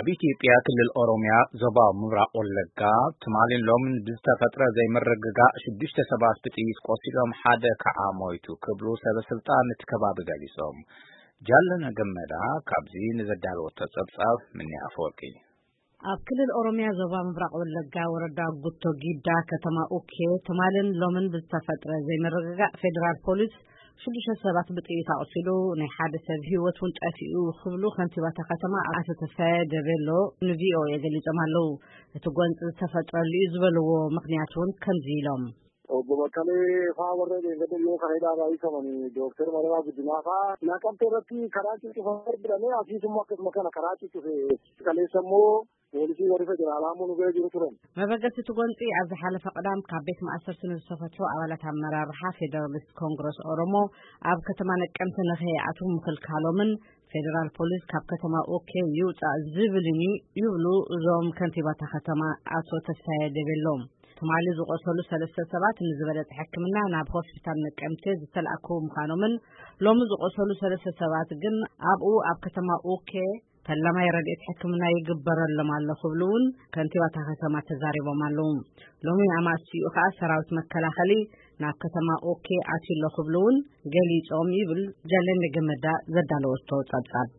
ኣብ ኢትዮጵያ ክልል ኦሮሚያ ዞባ ምብራቕ ወለጋ ትማልን ሎምን ብዝተፈጥረ ዘይምርግጋእ ሽዱሽተ ሰባት ብጥይት ቆሲሎም ሓደ ከዓ ሞይቱ ክብሉ ሰበ ስልጣን እቲ ከባቢ ገሊጾም። ጃለነ ገመዳ ካብዚ ንዘዳለወቶ ጸብጻብ ምኒ ኣፈወርቂ። ኣብ ክልል ኦሮሚያ ዞባ ምብራቕ ወለጋ ወረዳ ጉቶ ጊዳ ከተማ ኡኬ ትማልን ሎምን ብዝተፈጥረ ዘይምርግጋእ ፌዴራል ፖሊስ ሽዱሽተ ሰባት ብጥይት ኣቑሲሉ ናይ ሓደ ሰብ ህይወት እውን ጠፊኡ ክብሉ ከንቲባታ ከተማ ኣቶ ተስፋዬ ደቤሎ ንቪኦኤ ገሊጾም ኣለዉ። እቲ ጎንፂ ዝተፈጥረሉ እዩ ዝበልዎ ምክንያት እውን ከምዚ ኢሎም። Obbo Baqqalee faa warra dheengadda dhiyoo kana hidhaadhaa hiikamani Dooktar Mararaa Guddinaa faa Naqamtee irratti karaa cuccufameera jedhamee asiis immoo akkasuma kana karaa cuccufe kaleessa immoo poolisii warri federaalaa immoo nu bira jiru turan. መበገሲ እቲ ጎንፂ ኣብ ዝሓለፈ ቅዳም ካብ ቤት ማእሰርቲ ንዝተፈትሑ ኣባላት ኣመራርሓ ፌደራሊስት ኮንግረስ ኦሮሞ ኣብ ከተማ ነቀምቲ ንኸይኣትዉ ምክልካሎምን ፌደራል ፖሊስ ካብ ከተማ ኦኬ ይውፃእ ዝብልን እዩ ይብሉ እዞም ከንቲባታ ከተማ ኣቶ ተስፋዬ ደቤሎም። ትማሊ ዝቆሰሉ ሰለስተ ሰባት ንዝበለፀ ሕክምና ናብ ሆስፒታል ነቀምቴ ዝተላእኩ ምዃኖምን ሎሚ ዝቆሰሉ ሰለስተ ሰባት ግን ኣብኡ ኣብ ከተማ ኡኬ ፈላማይ ረድኤት ሕክምና ይግበረሎም ኣሎ ክብሉ እውን ከንቲባታ ከተማ ተዛሪቦም ኣለዉ። ሎሚ ኣማስቲኡ ከዓ ሰራዊት መከላኸሊ ናብ ከተማ ኡኬ ኣትዩ ኣሎ ክብሉ እውን ገሊጾም ይብል ጃለነ ገመዳ ዘዳለወቶ ጸብጻብ።